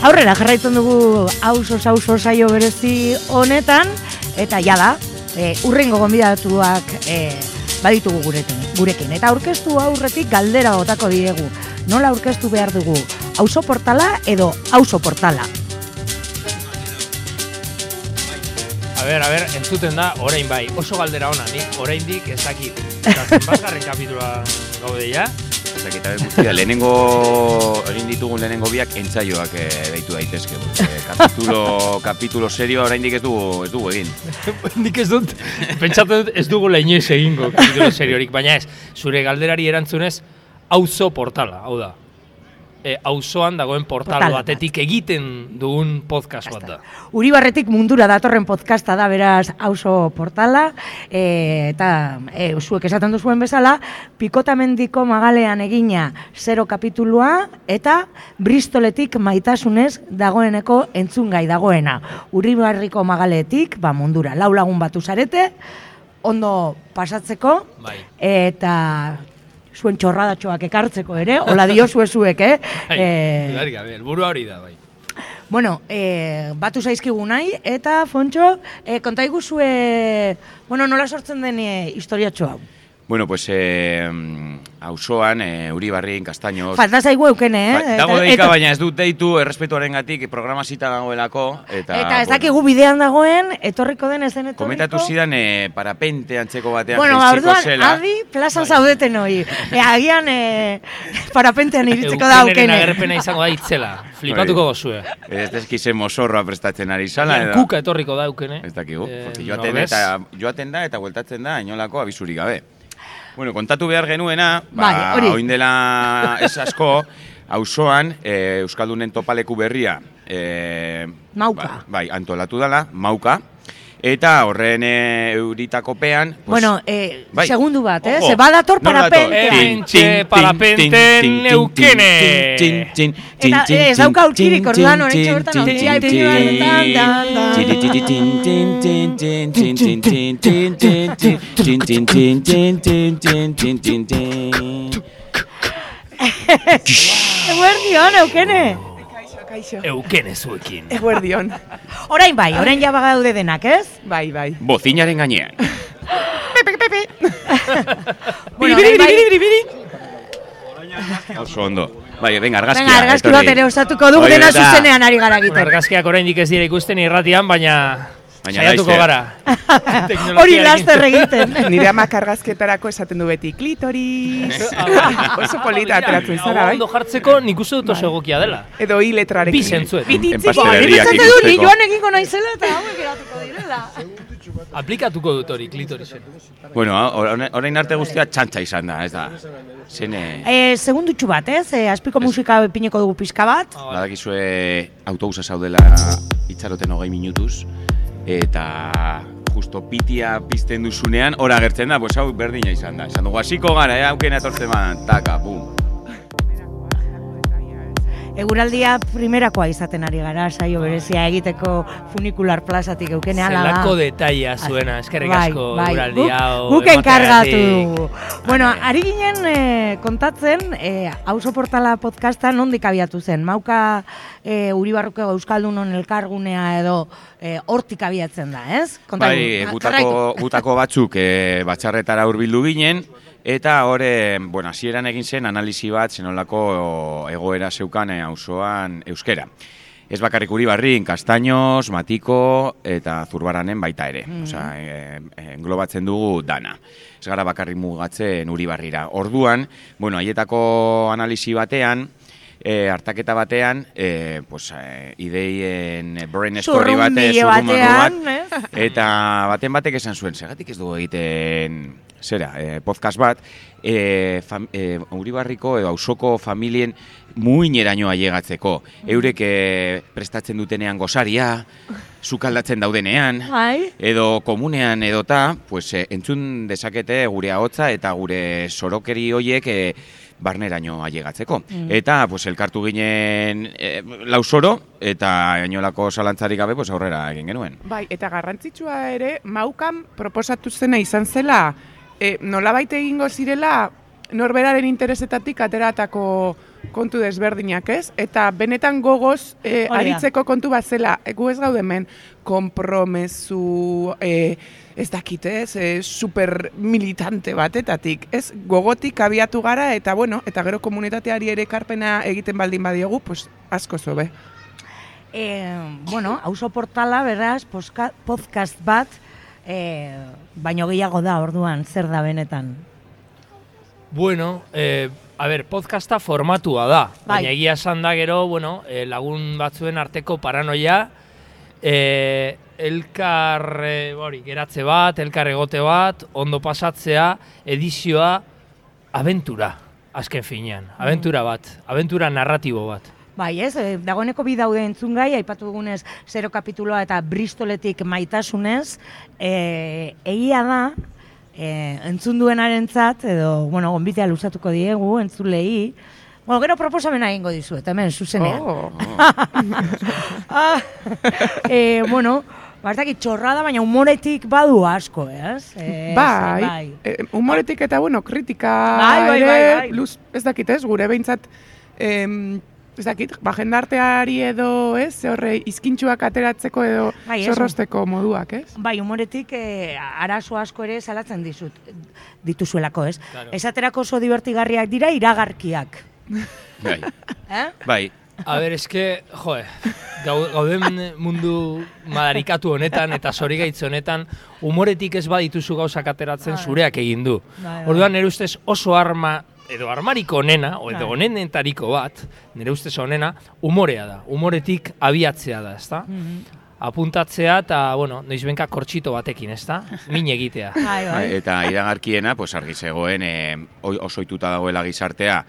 Aurrera jarraitzen dugu auzo saio berezi honetan, eta jada, urrengo gonbidatuak baditugu gurekin. Eta aurkeztu aurretik galdera botako diegu. Nola aurkeztu behar dugu? Auzo portala edo auzo portala? A ber, entzuten da, orain bai, oso galdera ona, nik oraindik ez dakit. Eta zenbatgarren kapitula gaude ja? Ez dakit, guztia, egin ditugun lehenengo biak entzaioak deitu daitezke. Kapitulo serioa oraindik ez dugu egin. Nik ez dut, pentsatzen dut ez dugu leinez egingo kapitulo seriorik, baina ez, zure galderari erantzunez, auzo portala, hau da. Auzoan dagoen portal batetik egiten dugun podcast bat da. Uribarretik mundura datorren podcasta da, beraz, auzo portala, eta zuek esaten duzuen bezala, Pikotamendiko magalean egina 0 kapitulua, eta Bristoletik maitasunez dagoeneko entzungai dagoena. Uribarriko magaletik, mundura, 4 lagun batu zarete, ondo pasatzeko, eta zuen txorradatxoak ekartzeko ere, hola diozue zuek, burua hori da, bai. Bueno, batu zaizkigu nahi, eta Fontxo, kontaiguzue, nola sortzen den historiatxo hau? Bueno, pues, auzoan, Uribarrin, Kastaños... Falta zaigu eukene, Dago deika, baina ez dut deitu, errespetuaren gatik, programazita dagoelako, eta ez dakigu bidean dagoen, etorriko den ezen etorriko... Komentatu zidan, parapente antzeko batean jaitsiko zela... Bueno, adi, plazan zaudeten hori. Agian, parapentean iritzeko da eukene. Eukeneren agerpena izango da itzela, flipatuko gozue. Ez dezkize mozorroa prestatzen ari zala, kuka etorriko da eukene. Ez dakigu, joaten da eta bueltatzen da, inolako abisurik gabe. Bueno, kontatu behar genuena, oin dela ez asko, auzoan Euskaldunen topaleku berria Mauka. Bai, antolatu dela, Mauka. Eta horren euritakopean... Bueno, segundu bat, ze badator parapentean. Parapenten eukene! Eta ez dauka aurkirik orduan, horretxe bertan aurkia Eguerdion, eukene! Eukene zuekin. Eguerdion. Orain bai, orain jaba gaude denak, ez? Bai. Bozinaren gainean. Pepe. Biri. Oso ondo. Bai, venga, argazkia. Venga, argazki bat ere osatuko dugu dena zuzenean ari gara egiten. Argazkiak oraindik ez dira ikusten irratian, baina saiatuko gara. Hori laster egiten. Nire amak argazketarako esaten du beti klitoris. Oso polita ateratzen zara, bai? Ondo jartzeko nik uste dut oso egokia dela. Edo hi letrarekin. Bi zentzuet. Enpasteleria Nik dut, ni joan egingo naizela eta hauek eratuko direla. Aplikatuko dut hori, klitorisen. Bueno, orain arte guztia txantxa izan da, ez da. Segundutxu bat, ez? Azpiko musika pineko dugu pixka bat. Badakizue autobusa zaudela itxaroten 20 minutuz. Eta justo pitia pizten duzunean, hor agertzen da, hau berdina izan da. Esan dugu, hasiko gara, haukena etortzen badan, taka, bum. Eguraldia primerakoa izaten ari gara, saio berezia egiteko funikular plazatik eukene ala da. Zelako detaia zuena, eskerrik asko eguraldia. Guk enkargatu dugu. Bueno, ari ginen kontatzen, auzo portala podcasta nondik abiatu zen. Mauka Uribarruko Euskaldunon elkargunea edo hortik abiatzen da, ez? Bai, gutako batzuk batxarretara hurbildu ginen, eta hori, hasieran egin zen analisi bat zenolako egoera zeukan auzoan euskera. Ez bakarrik Uribarrin, Kastaños, Matiko eta Zurbaranen baita ere. Englobatzen dugu dana. Ez gara bakarrik mugatzen Uribarrira. Orduan, haietako analisi batean, hartaketa batean, ideien brain story bat, eta baten batek esan zuen, segatik ez dugu egiten podcast bat, Uribarriko edo auzoko familien muineraino ailegatzeko. Eurek prestatzen dutenean gozaria, sukaldatzen daudenean, edo komunean edota, entzun dezakete gure ahotsa eta gure sorokeri hoiek barneraino ailegatzeko. Eta elkartu ginen lauzoro eta inolako zalantzarik gabe aurrera egin genuen. Bai, eta garrantzitsua ere, Maukan proposatu zena izan zela, nolabait egingo zirela norberaren interesetatik ateratako kontu desberdinak, ez? Eta benetan gogoz aritzeko kontu bat zela, gu ez gaude hemen konpromezu, ez dakit, ez? Super militante batetatik, ez? Gogotik abiatu gara, eta bueno, eta gero komunitateari ere ekarpena egiten baldin badiogu, pues asko zobe. Bueno, auzo portala, beraz, podcast bat, baino gehiago da, orduan, zer da benetan? Bueno, podcasta formatua da, baina egia esan da gero, bueno, lagun batzuen arteko paranoia, elkar geratze bat, elkar egote bat, ondo pasatzea, edizioa, abentura, azken finean, abentura bat, abentura narratibo bat. Bai, ez, dagoeneko bi daude entzungai, aipatu dugunez 0 kapituloa eta Bristoletik maitasunez, egia da, entzun duenarentzat, edo, bueno, gonbitea luzatuko diegu, entzulei, bueno, gero proposamena egingo dizuet, hemen, zuzenean. Bueno, bartakit txorrada, baina humoretik badu asko, ez? Bai, humoretik eta, bueno, kritika ere, ez dakit ez, gure behintzat, ez dakit, jendarteari edo, ez, horre, izkintxuak ateratzeko edo zorrosteko moduak, ez? Bai, humoretik arazo asko ere salatzen dituzuelako, ez? Claro. Esaterako oso divertigarriak dira iragarkiak. Bai. Bai. A ber, eske, gauden mundu madarikatu honetan eta zorigaitz honetan, humoretik ez badituzu gauzak ateratzen zureak egin du. Orduan, nire ustez oso arma, edo armariko onena, edo onenetariko bat, nire ustez onena, humorea da. Humoretik abiatzea da, ezta? Apuntatzea eta, bueno, noizbenka kortxito batekin, ezta? Min egitea. Eta iragarkiena, pues argi zegoen, oso ohituta dagoela gizartea,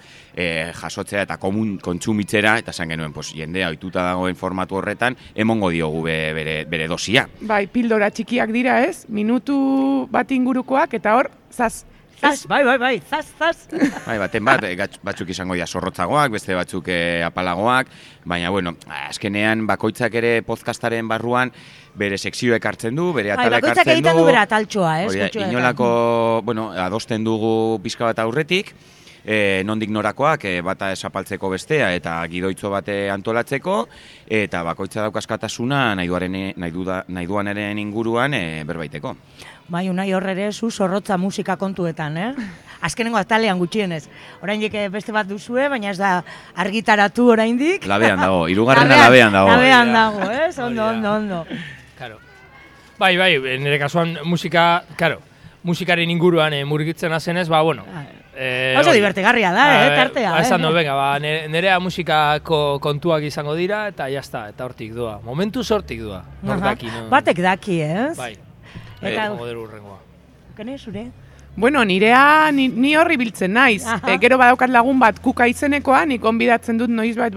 jasotzea eta kontsumitzera, eta esan genuen, pues, jendea ohituta dagoen formatu horretan, emongo diogu bere dosia. Bai, pildora txikiak dira, ez? Minutu bat ingurukoak, eta hor, zaz. Bai, zaz. Bai, baten bat, batzuk izango dira zorrotzagoak, beste batzuk apalagoak, baina, bueno, azkenean bakoitzak ere podcastaren barruan bere sekzioek hartzen du, bere atalek hartzen du. Bakoitzak egiten du bere ataltxoa, Inolako, bueno, adosten dugu pixka bat aurretik, nondik norakoak, bata esapaltzeko bestea eta gidoitzo bate antolatzeko, eta bakoitza daukaskatasuna nahi duanaren inguruan berbaiteko. Bai, Unai horre zu zorrotza musika kontuetan, Azkenengo atalean gutxienez. Oraindik beste bat duzue, baina ez da argitaratu oraindik. Labean dago, hirugarrena labean dago. Labean dago, ondo. Claro. Bai, nire kasuan musikaren inguruan murgitzen azenez, bueno. Oso divertigarria da, tartea. Esan du, venga, nerea musikako kontuak izango dira, eta jazta, eta hortik doa. Momentuz hortik doa. Batek daki, ez? Bai. Eta moderu urrengoa. Kene, zure? Bueno, nirea ni horri biltzen naiz. Gero badaukat lagun bat kuka izenekoa, nik onbidatzen dut noizbait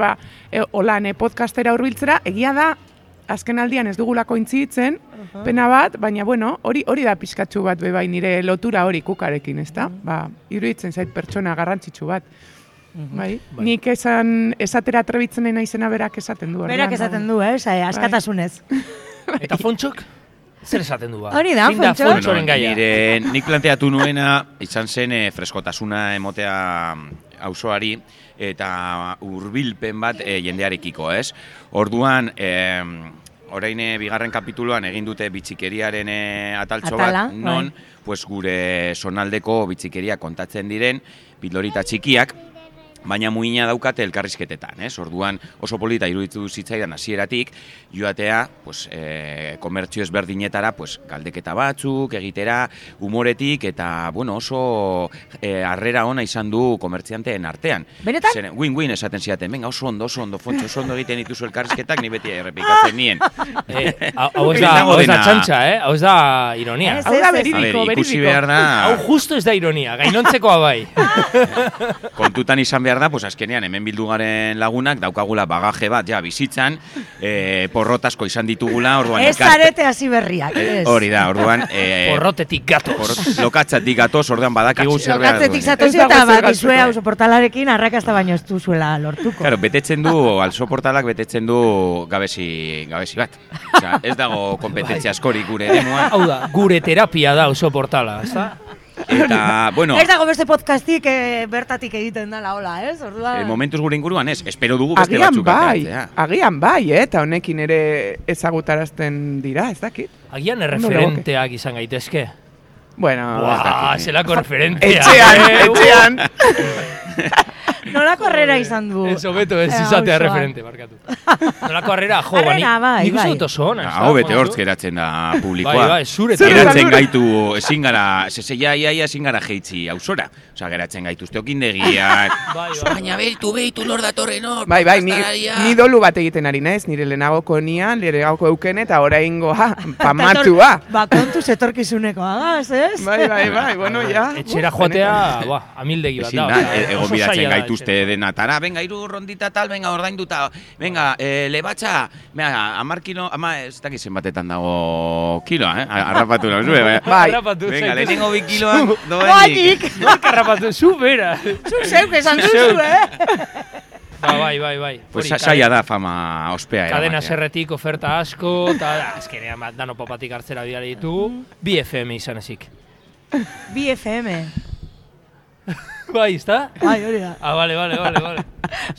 holan podcastera hurbiltzera, egia da, azken aldian ez dugulako intzitzen, pena bat, baina bueno, hori da pixkatxu bat bai nire lotura hori kukarekin, ezta? Iruditzen zait pertsona garrantzitsu bat. Bai. Nik esatera trebitzen naizena berak esaten du. Berak esaten du, askatasunez. Eta Fontxok? Zer esaten du ba? Hori da, Fontxok. Nik planteatu nuena, izan zen freskotasuna emotea auzoari, eta hurbilpen bat jendearekiko, ez? Orduan, orain bigarren kapituluan egin dute bitxikeriaren ataltxo bat, non pues gure zonaldeko bitxikeria kontatzen diren, pildorita txikiak, baina muina daukate elkarrizketetan, ez? Orduan oso polita iruditu zitzaidan hasieratik joatea, pues komertzio ezberdinetara, pues galdeketa batzuk egitera, humoretik eta bueno, oso harrera ona izan du komertzianteen artean. Benetan? Win-win esaten ziaten. Venga, oso ondo, Fontxo, oso ondo egiten dituzu elkarrizketak, ni beti errepikatzen nien. Hau ez da txantxa, hau ez da ironia. Hau da beridiko. Ikusi behar da. Hau justo ez da ironia, gainontzekoa bai. Kontutan izan behar da, pues azkenean hemen bildu garen lagunak daukagula bagaje bat, ja, bizitzan, porrotasko izan ditugula, orduan... Ez zarete hasi berriak, ez. Hori da, orduan... Porrotetik gatoz. Lokatzatik gatoz, orduan badakigu zer behar. Lokatzetik zatozi eta bakizue auzo portalarekin arrakasta baino ez duzuela lortuko. Claro, betetzen du, auzo portalak betetzen du gabezi bat. Osea, ez dago kompetentzia askorik gure eremuan. Hau da, gure terapia da auzo portala, ez da? Eta, bueno... Ez dago beste podcastik bertatik egiten dela, hola, ez? Orduan... momentuz gure inguruan ez, espero dugu beste batzuk ateratzea. Agian bai, eta honekin ere ezagutarazten dira, ez dakit. Agian erreferenteak izan gaitezke. Bueno... Buah, zelako referenteak. Etxean! Nolako harrera izan du? Ez hobeto ez izatea referente, barkatu. Nolako harrera, jo, bani. Nik uste dut oso ona. Hau bete hortz geratzen da publikoa. Bai, zure. Geratzen gaitu, ezin gara, iaia ezin gara jeitzi ausora. Osa, geratzen gaitu usteokindegiak. Baina behitu lor datorren hor. Bai, ni dolu bat egiten ari naiz, nire lehenagoko nian, lehenagoko euken eta oraingoa, pamatua. Ba, kontuz etorkizuneko agaz, ez? Bai, bueno, ja. Etxera joatea, amildegi bat da. Egon bidatzen gaituzte denatara, venga, 3 rondita tal, venga, ordainduta, venga, lebatxa, venga, 10 kilo, ez dakizen batetan dago kiloa, arrapatu nahu zue, venga, lehenengo 2 kiloan, doenik. Arrapatu, zu bera. Zu zeuk esan duzu, Bai. Pues saia da fama ospea. Kadena serretik oferta asko, eta azkenean dano papatik hartzera bidea ditugu, 2 FM izan ezik. 2 FM. Bai, ezta? Bai, hori da. Vale.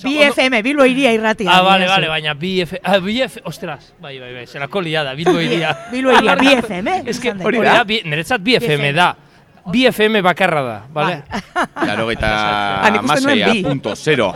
2 FM, Bilbo iria irratia. Vale, baina 2 FM, ostras, bai, zelako liada, Bilbo iria. Bilbo iria, 2 FM. Ez que hori da, niretzat 2 FM da. 2 FM bakarra da, bale? Claro, eta amaseia.0.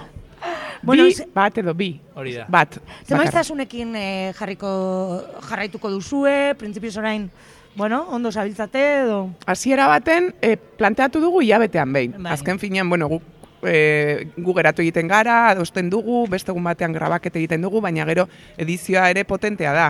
Bi, bat edo bi. Hori da. Bat. Zemaiztasunekin jarraituko duzue, printzipioz orain, bueno, ondo zabiltzate edo... Hasiera baten, planteatu dugu hilabetean behin. Azken finean, bueno, gu geratu egiten gara, adosten dugu, beste egun batean grabakete egiten dugu, baina gero edizioa ere potentea da.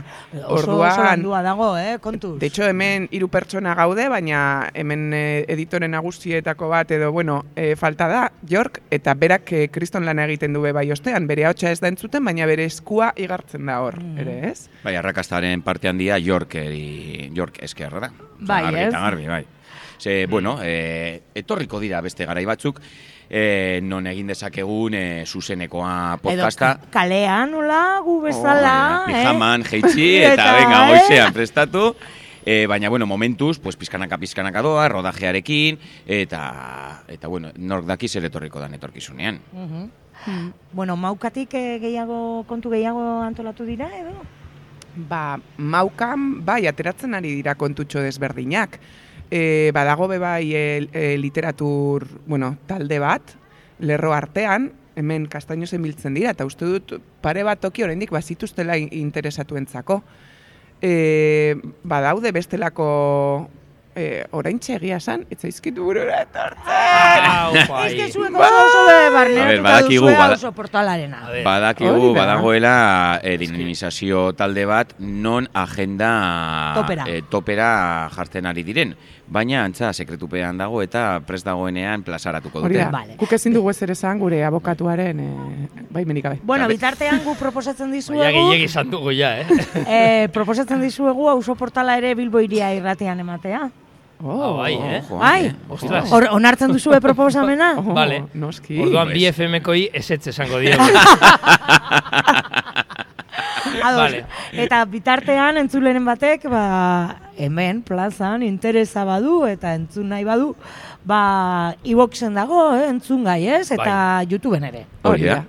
Oso landua dago, kontuz. De hecho, hemen 3 pertsona gaude, baina hemen editore nagusietako bat edo, bueno, falta da, York, eta berak kriston lana egiten du bai ostean, bere ahotsa ez da entzuten, baina bere eskua igartzen da hor, ere ez? Bai, arrakastaren parte handia York eskerra da. Bai, ez? Garbi, bai. Ze, bueno, etorriko dira beste garai batzuk, non egin dezakegun zuzenekoa podcasta. Edo kalean, nola, gu bezala. Pijaman, jeitzi, eta venga, goizean prestatu. Baina, bueno, momentuz, pues, pizkanaka doa, rodajearekin, eta bueno, nork daki zer etorriko dan etorkizunean. Bueno, maukatik kontu gehiago antolatu dira, edo? Ba, maukan, bai, ateratzen ari dira kontutxo desberdinak. Badago bai literatur, bueno, talde bat, lerro artean, hemen Kastainozen biltzen dira, eta uste dut pare bat toki oraindik bazituztela interesatuentzako. Badaude bestelako oraintxe egia esan, etzaizkitu burura etortzen. Ez que zueko oso barneratuta duzue oso portalarena. Badakigu, badagoela dinamizazio talde bat non agenda topera jartzen ari diren. Baina antza sekretupean dago eta prest dagoenean plazaratuko dute. Guk ezin dugu ezer esan gure abokatuaren baimenik gabe. Bueno, bitartean gu proposatzen dizuegu... Ja, gehiagi esan dugu ja, proposatzen dizuegu auzo portala ere Bilbo iria irratean ematea. Bai, Bai, ostras. Onartzen duzue proposamena? Vale, noski. Orduan 2 FM-koi ezetz esango diegu. Vale. Eta bitartean entzuleren batek, hemen plazan interesa badu eta entzun nahi badu, iBoxen dago, entzun gai, ez? Eta YouTubeen ere. Hori da.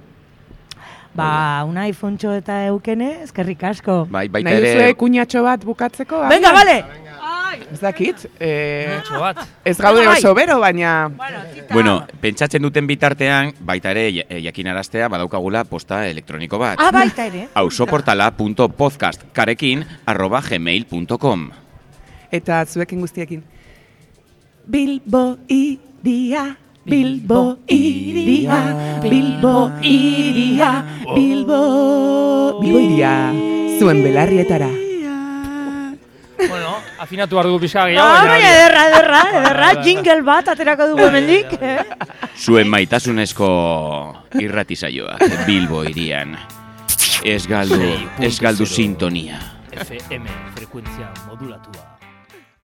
Una iPhone-txo eta eukene, eskerrik asko. Baita nahi duzue kuñatxo bat bukatzeko? Venga, vale! Ez dakit, ez gaude oso bero, baina... Bueno, pentsatzen duten bitartean, baita ere jakinaraztea badaukagula posta elektroniko bat. Baita ere. auzoportala.podcastkarekin@gmail.com. Eta zuekin guztiekin. Bilbo iria, Bilbo iria, Bilbo iria, Bilbo iria, zuen belarrietara. Bueno, afinatu behar dugu pixka gehiago. Baina ederra, jingle bat aterako dugu hemendik. Zuen maitasunezko irratisaioa, Bilbo irian. Ez galdu sintonia. FM, frekuentzia modulatua.